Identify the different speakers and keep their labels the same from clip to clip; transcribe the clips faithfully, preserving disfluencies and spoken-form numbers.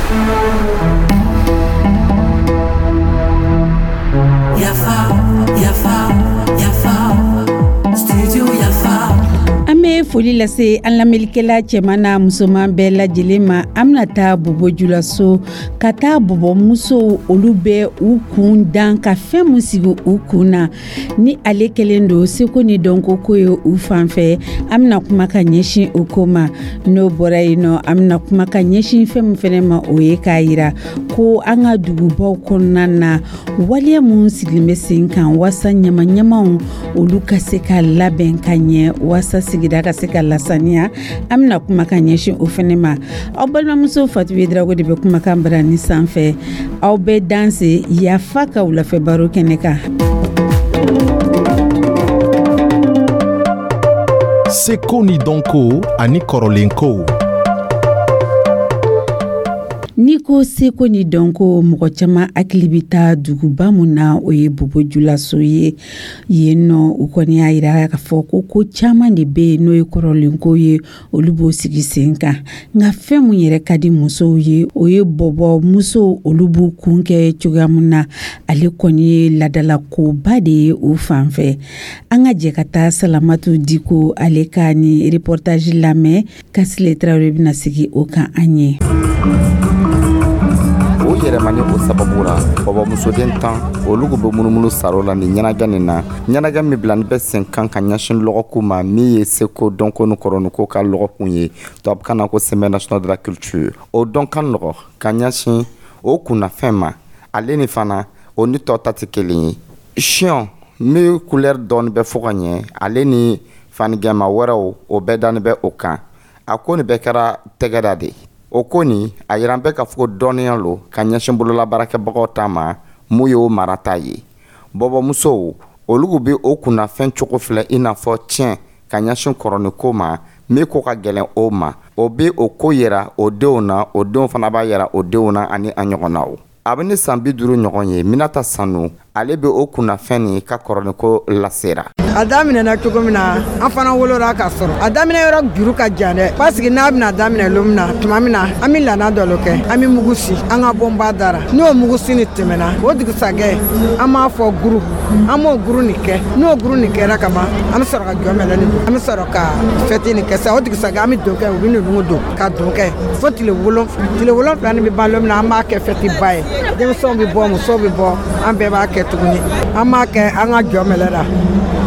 Speaker 1: Yafa, Yafa, Yafa, Studio Yafa.
Speaker 2: An bɛ foli lase an lamɛnlikɛla cɛman n'a musoman bɛɛ lajɛlen ma. An bɛna taa Bɔbɔjulaso ka taa bɔbɔmusow, olu bɛ u kun dan ka fɛn min sigi u kun na, ni ale kɛlen don seko ni dɔnko ko ye u fan fɛ. An bɛna kuma ka ɲɛsin o ko ma. N'o bɔra yen nɔ, an bɛna kuma ka ɲɛsin fɛn min fɛnɛ ma, o ye k'a yira ko an ka dugubaw kɔnɔna na, waleya minnu sigilen bɛ sen kan waasa ɲama-ɲamaw olu ka se ka labɛn ka ɲɛ, waasa sigida ka se ka lasaniya, an bɛna kuma ka ɲɛsin o fɛnɛ ma. Aw balimamuso Fatu Drago de bɛ kumakan bara ni sanfɛ. Aw bɛ danse Yafa ka wulafɛ baro kɛnɛ kan.
Speaker 3: Seko ni dɔnko ani kɔrɔlenkow.
Speaker 2: N'i ko seko ni dɔnko, mɔgɔ caman hakili bɛ taa duguba mun na, o ye Bobojulaso ye. Yen nɔ, u kɔni y'a yira k'a fɔ ko ko caman de bɛ yen n'o ye kɔrɔlenko ye, olu b'o sigi sen kan. Nka fɛn mun yɛrɛ ka di musow ye, o ye bɔbɔ musow, olu b'u kun kɛ cogoya mun na, ale kɔni ye ladalakoba de ye u fan fɛ. An ka jɛ ka taa Salamatu Diko ale ka ni reportage lamɛn. Kasile Tarawele bɛna sigi o kan an ye.
Speaker 4: O yɛrɛmani o sababu ra, bɔbɔmusoden tan olu bɛ munumunu saro la ni ɲɛnajɛ nin na, ɲɛnajɛ min bilani bɛ sen kan ka ɲɛsin lɔgɔkun ma min ye seko, dɔnko ni kɔrɔniko ka lɔgɔkun ye, tubabukan na ko Semaine nationale de la culture. O dɔn ka nɔgɔ ka ɲɛsin o kunnafɛn ma. Ale ni fana o ni tɔ ta tɛ kelen ye. Siyɔn min couleur dɔɔni bɛ fɔ ka ɲɛ, ale ni fanigɛma wɛrɛw, o bɛɛ dani bɛ o kan. A ko nin bɛɛ kɛra tɛgɛda de. O ko nin a yiran bɛ k'a fɔ ko dɔnniya lo ka ɲɛsin bololabaarakɛbagaw ta ma mun ye o marata ye. Bɔbɔmusow olu bɛ o kunnafɛn cogo filɛ i n'a fɔ tiɲɛ ka ɲɛsin kɔrɔniko ma min ko ka gɛlɛn o ma. O bɛ o ko yira o denw na, o denw fana b'a yira o denw na, ani a ɲɔgɔnnaw. A bɛ ni san bi duuru ɲɔgɔn ye, Minata Sanu, ale bɛ o kunnafɛn nin ka kɔrɔniko lasera.
Speaker 5: A daminɛna cogo min na, an fana wolola ka sɔrɔ a daminɛ yɔrɔ juru ka jan dɛ, parce que n'a bɛna daminɛ lon min na, tuma min na, an bɛ lana dɔ kɛ, an bɛ mugu si an ka bɔnba dara. N'o mugu si nin tɛmɛna, o dugusajɛ an b'a fɔ guru, an b'o guru nin kɛ. N'o guru nin kɛra ka ban, an bɛ sɔrɔ ka jɔ mɛlɛ nin don, an bɛ sɔrɔ ka fɛti nin kɛ sa. O dugusajɛ an bɛ don kɛ, u bɛ ninnu don ka don kɛ fo tile wolonfila. Tile wolonfila nin bɛ ban lon min na, an b'a kɛ fɛti ba ye. Denmisɛnw bɛ bɔ, musow bɛ bɔ, an bɛɛ b'a kɛ tuguni. An b'a kɛ an ka jɔ mɛlɛ la.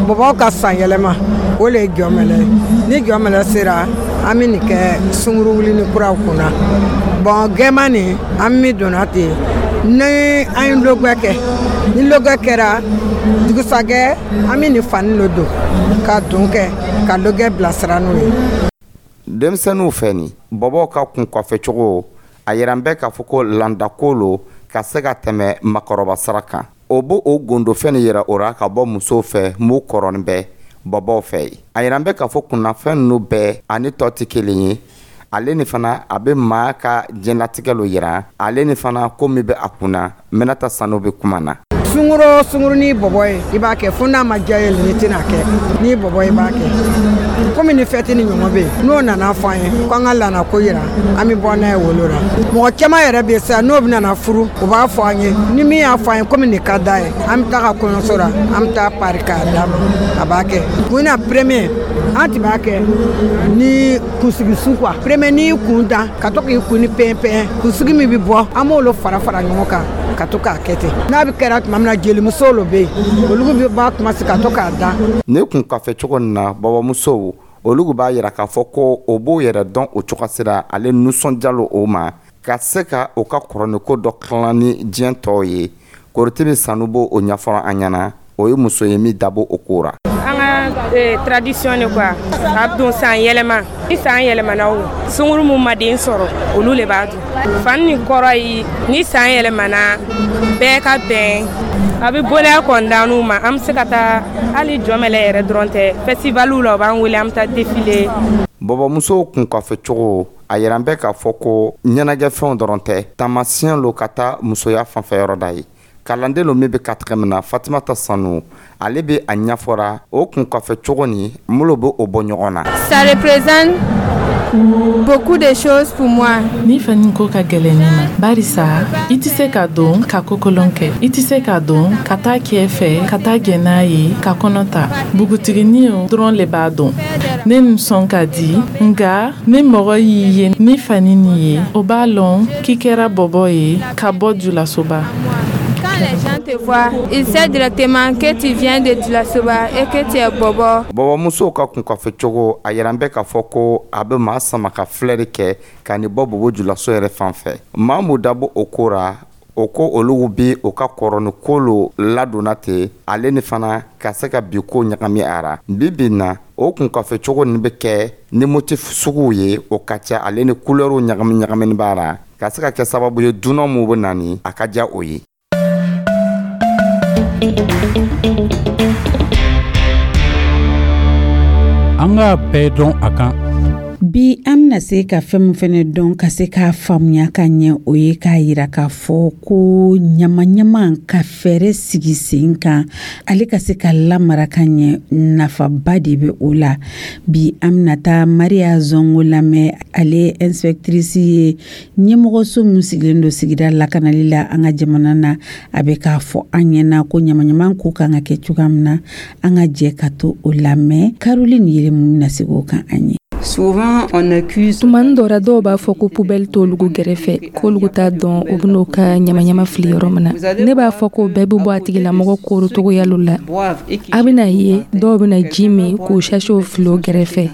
Speaker 5: Bɔbɔw ka san yɛlɛma, o le ye jɔmɛlɛ ye. Ni jɔmɛlɛ sera, an bɛ nin kɛ sunguru wuli ni kuraw kunna. Bɔn, gɛman nin an min donna ten ni an ye logɛ kɛ, ni logɛ kɛra dugusajɛ, an bɛ nin fani lo don ka don kɛ ka logɛ bilasira n'o ye.
Speaker 4: Denmisɛnninw fɛ nin bɔbɔw ka kun kɔfɛcogo, a yiran bɛ k'a fɔ ko landako lo ka se ka tɛmɛ makɔrɔba sira kan. O b'o o gondofɛn nin yira o ra ka bɔ musow fɛ m'u kɔrɔnin bɛ bɔbɔw fɛ ye. A yiran bɛ k'a fɔ kunnafɛn ninnu bɛɛ ani tɔ tɛ kelen ye. Ale ni fana a bɛ maa ka diɲɛlatigɛ lo yira, ale ni fana ko min bɛ a kunna. Minata Sanu bɛ kuma na.
Speaker 5: Sunguro sunguru ni bɔbɔ ye, i b'a kɛ fo n'a ma diya ye, ni tɛna kɛ ni bɔbɔ i b'a kɛ komi ni fɛti ni ɲɔgɔn bɛ yen. N'o nana fɔ an ye ko an ka lana ko yira, an bɛ bɔ n'a ye wolo la. Mɔgɔ caman yɛrɛ bɛ sa, n'o bɛna furu, u b'a fɔ an ye. Ni min y'a fɔ an ye komi nin ka d'a ye, an bɛ taa ka kɔɲɔso la, an bɛ taa pari k'a d'a ma, a b'a kɛ. Kun na premier, an tun b'a kɛ ni kunsigi su quoi. Premier, n'i kun da ka to k'i kun ni pɛn pɛn, kunsigi min bɛ bɔ, an b'olu fara fara ɲɔgɔn kan ka to k'a kɛ ten. N'a bɛ kɛra tuma min na, jelimusow lo bɛ yen, olu bɛ b'a kuma se ka to k'a da.
Speaker 4: Ne kun kafɛ cogo nin na, bɔbɔmusow olu b'a yira k'a fɔ ko o b'o yɛrɛ dɔn o cogo sira, ale nisɔndiya lo o ma ka se ka o ka kɔrɔniko dɔ tilan ni diɲɛ tɔw ye. Korotimi Sanu b'o o ɲɛfɔ an ɲɛna. O ye muso ye min dabɔ o ko ra.
Speaker 6: An ka tradition de quoi, a don san yɛlɛma. Ni san yɛlɛmana, o sunguru mun ma den sɔrɔ, olu le b'a dun. Fani nin kɔrɔ ye ni san yɛlɛmana, bɛɛ ka bɛn. A bɛ bonheur kɔni d'an ma. An bɛ se ka taa hali jɔmɛlɛ yɛrɛ dɔrɔn tɛ, festivaliw la, u b'an wele, an bɛ taa défilé.
Speaker 4: Bɔbɔmusow kun kɔfɛ cogo, a yiran bɛ k'a fɔ ko ɲɛnajɛfɛnw dɔrɔn tɛ, taamasiyɛn lo ka taa musoya fanfɛ yɔrɔ da ye. Kalanden lo min bɛ quatrième na, Fatimata Sanu, ale bɛ a ɲɛfɔra o kun kɔfɛ cogo ni minnu bɛ o bɔ ɲɔgɔn na.
Speaker 7: Ça représente Beaucoup de choses pour moi.
Speaker 8: Ni fani ko ka gɛlɛn ne ma, barisa i tɛ se ka don ka kokolon kɛ, i tɛ se ka don ka taa kɛ fɛ, ka taa gɛn n'a ye ka kɔnɔ ta. Bugutiginiw dɔrɔn le b'a dɔn. Ne nisɔn ka di, nka ni mɔgɔ y'i ye ni fani nin ye, o b'a lɔn k'i kɛra bɔbɔ ye ka bɔ Julasoba.
Speaker 7: Quand les gens te voient, ils savent directement que tu viens de Dioulasoba et que tu es bobo.
Speaker 4: Bɔbɔmusow ka kunkafɛ cogo, a yɛrɛ bɛ k'a fɔ ko a bɛ maa sama ka filɛri kɛ ka nin bɔ Bobo Julaso yɛrɛ fan fɛ. Maa mun dabɔ o ko ra, o ko olu bi o ka kɔrɔni ko ladonna ten, ale ni fana ka se ka bi ko ɲagami a ra. Bi bi na, o kunkafɛ cogo nin bɛ kɛ ni motif suguw ye, o ka ca, ale ni couleurw ɲagami ɲagamini b'a ra, ka se ka kɛ sababu ye dunan mun bɛ na ni a ka diya o ye.
Speaker 9: An k'a bɛɛ dɔn a kan.
Speaker 2: Bi, an bɛna se ka fɛn min fɛnɛ dɔn, ka se k'a faamuya ka ɲɛ, o ye k'a yira k'a fɔ ko ɲama-ɲama ka fɛɛrɛ sigi sen kan, ale ka se ka lamara ka ɲɛ, nafaba de bɛ o la. Bi, an bɛna taa Maria Zongo lamɛn. Ale inspectrice ye ɲɛmɔgɔso min sigilen don sigida lakanali la an ka jamana na. A bɛ k'a fɔ an ɲɛna ko ɲama-ɲama ko kan ka kɛ cogoya min na. An ka jɛ ka to o lamɛn. Caroline Yelemu bɛna segin o kan an ye.
Speaker 10: Souvent, on accuse.
Speaker 11: Tumani dɔ ra, dɔw b'a fɔ ko poubelle t'olugu gɛrɛfɛ, k'olugu t'a dɔn u ben'o ka ɲamaɲama fili yɔrɔ min na. Ne b'a fɔ ko bɛɛ be bɔ a tigilamɔgɔ korotogoya lo la. A bena ye, dɔw bena ji min k'o sachetw fili o gɛrɛfɛ,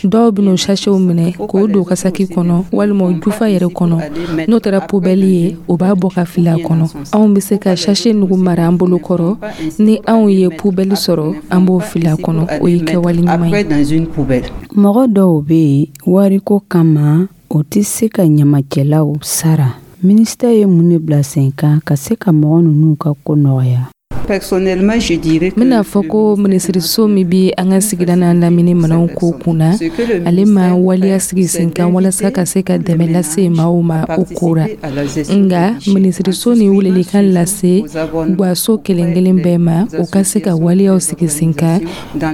Speaker 11: dɔw ben'o sachetw minɛ k'o don ka saki kɔnɔ walima o jufa yɛrɛ kɔnɔ. N'o taara poubelle ye, o b'a bɔ ka fili a kɔnɔ. Anw be se ka sachet nugu mara an bolo kɔrɔ. Ni anw ye poubelle sɔrɔ, an b'o fili a kɔnɔ. O ye kɛwale ɲuman ye.
Speaker 12: Mɔgɔ dɔw bɛ yen, wariko kama, o tɛ se ka ɲamacɛlaw sara. Minisita ye mun de bila sen kan ka se ka mɔgɔ ninnu ka ko nɔgɔya?
Speaker 10: Personnellement, je dirais
Speaker 11: N bɛna fɔ ko minisiriso min bi an ka sigida n'a lamini minɛnw ko kunna, ale ma waleya sigi sen kan walasa ka se ka dɛmɛ lase maaw ma o ko ra. Nga minisiriso ni welelikan lase gwaso kelen kelen bɛɛ ma, o ka se ka waleyaw sigi sen kan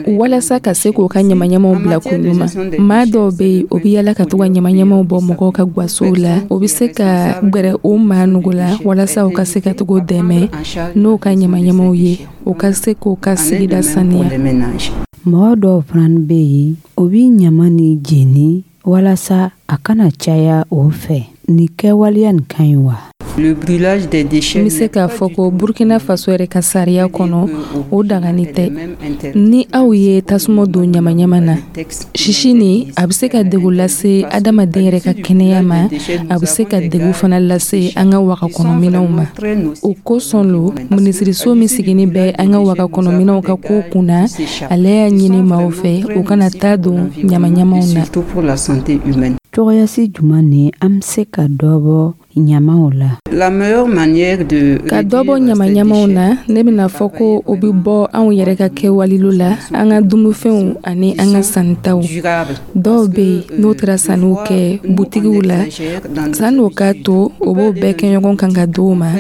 Speaker 11: walasa ka se k'o ka ɲamaɲamaw bila ko ɲuman. Maa dɔw bɛ yen, o bɛ yala ka to ka ɲamaɲamaw bɔ mɔgɔw ka gwasow la. O bɛ se ka gwɛrɛ o maa nugu la walasa u ka se ka togo dɛmɛ n'o ka ɲamaɲamaw ye, o ka se k'o ka sigida saniya.
Speaker 12: Mɔgɔ dɔw fana bɛ yen, o bɛ ɲama ni jeni walasa a kana caya o fɛ. Nin kɛwaleya nin ka ɲi wa?
Speaker 10: Le brûlage des déchets.
Speaker 11: N bɛ se k'a fɔ ko Burkina Faso yɛrɛ ka sariya kɔnɔ, o dagani tɛ. Ni aw ye tasuma don ɲamaɲama na, sisi ni a bɛ se ka degun lase adamaden yɛrɛ ka kɛnɛya ma, a bɛ se ka degun fana lase an ka waga kɔnɔminɛnw ma. O kosɔn lo, minisiriso min sigini bɛ an ka waga kɔnɔminɛnw ka ko kunna, ale y'a ɲini maaw fɛ u kana taa don ɲamaɲamaw na.
Speaker 10: Surtout pour la santé humaine.
Speaker 12: Cogoyasi jumɛn ni an bɛ se ka dɔ bɔ ɲamaw la?
Speaker 10: La meilleure manière de
Speaker 11: Ka dɔ bɔ ɲamaɲamaw na, ne bɛna fɔ ko o bɛ bɔ anw yɛrɛ ka kɛwalelu la, an ka dumunifɛnw ani an ka sannitaw. Dɔw bɛ yen, n'o taara sanniw kɛ butigiw la, sanni o k'a to o b'o bɛɛ kɛ ɲɔgɔn kan ka di o ma,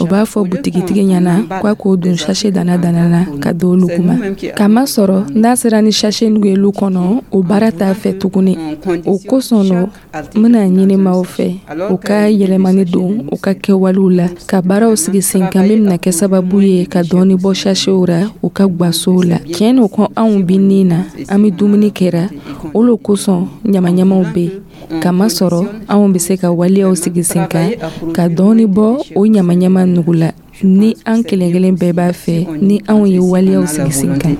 Speaker 11: o b'a fɔ butigitigi ɲɛna k'a k'o don sachet dana dana na ka di olu ma. Kamasɔrɔ n'a sera ni sachet nugu ye lu kɔnɔ, o baara t'a fɛ tuguni. O kosɔn lo, n bɛna ɲini maaw fɛ u ka yɛlɛmani don u ka kɛwalew la, ka baaraw sigi sen kan min bɛna kɛ sababu ye ka dɔɔni bɔ sachetw ra u ka gwasow la. Tiɲɛ no ko anw bi nin na, an bɛ dumuni kɛra, o lo kosɔn ɲamaɲamaw bɛ yen. Kamasɔrɔ anw bɛ se ka waleyaw sigi sen kan ka dɔɔni bɔ o ɲamaɲama nugu la, ni an kelen kelen bɛɛ b'a fɛ, ni anw ye waleyaw sigi sen kan.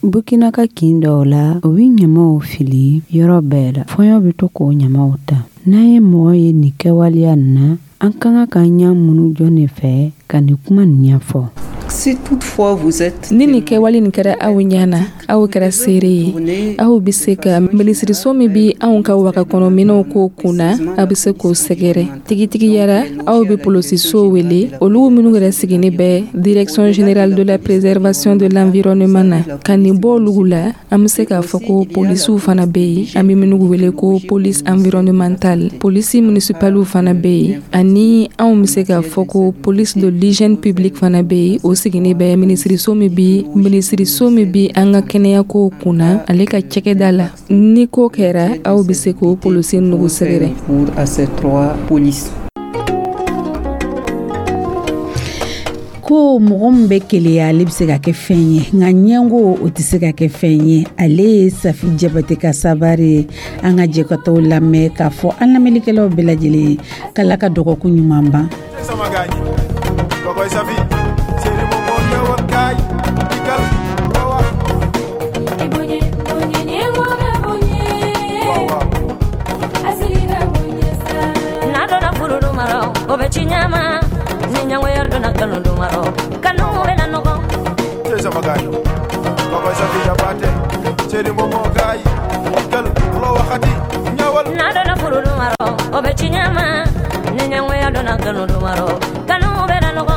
Speaker 12: Burkina ka kin dɔw la, u bɛ ɲamaw fili yɔrɔ bɛɛ la. Fɔɲɔ bɛ to k'o ɲamaw ta. N'an ye mɔgɔ ye nin kɛwaleya nin na, an ka kan k'an ɲɛ munu jɔn de fɛ ka nin kuma nin ɲɛfɔ?
Speaker 10: Si toutefois vous êtes
Speaker 11: Ni nin kɛwale nin kɛra aw ɲɛ na, aw kɛra seere ye, aw bɛ se ka minisiriso min bi anw ka waga kɔnɔminɛnw ko kunna, aw bɛ se k'o sɛgɛrɛ. Tigitigiyara, aw bɛ polosiso wele, olu minnu yɛrɛ sigini bɛ Direction générale de la préservation de l'environnement na. Ka nin bɔ olu la, an bɛ se k'a fɔ ko polisiw fana bɛ yen, an bɛ minnu wele ko police environnementale. municipale, polisi municipaliw fana bɛ yen, ani anw bɛ se k'a fɔ ko police de l'hygiène publique fana bɛ yen. O sigilen bɛ minisiriso min bi minisiriso min bi an ka kɛnɛyakow kunna, ale ka cakɛda la. Ni ko kɛra, aw bɛ se k'o polisi nugu sɛgɛrɛ.
Speaker 10: Recours à ces trois polices.
Speaker 2: Ko mɔgɔ min bɛ keleya, ale bɛ se ka kɛ fɛn ye, nka ɲɛngo, o tɛ se ka kɛ fɛn ye. Ale ye Safi Jabate ka sabari ye. An ka jɛ ka t'o lamɛn k'a fɔ an lamɛnnikɛlaw bɛɛ lajɛlen ye k'Ala ka dɔgɔkun ɲuman ban.
Speaker 13: Sama gaañi kokoy Safi seri mo mo ñëwal kaay dikkal wawa. Waaw waaw.
Speaker 14: N'a donna furu dumaro, o bɛ ci ɲama. Ni ɲangoya donna kanu dumaro, kanu bɛ na nɔgɔ.
Speaker 13: Cey sama gaañi kokoy Safi Jabate seri mo mo kaay dikkal lo waxati ñëwal.
Speaker 14: N'a donna furu dumaro, o bɛ ci ɲama. Ni ɲangoya donna kanu dumaro, kanu bɛ na nɔgɔ.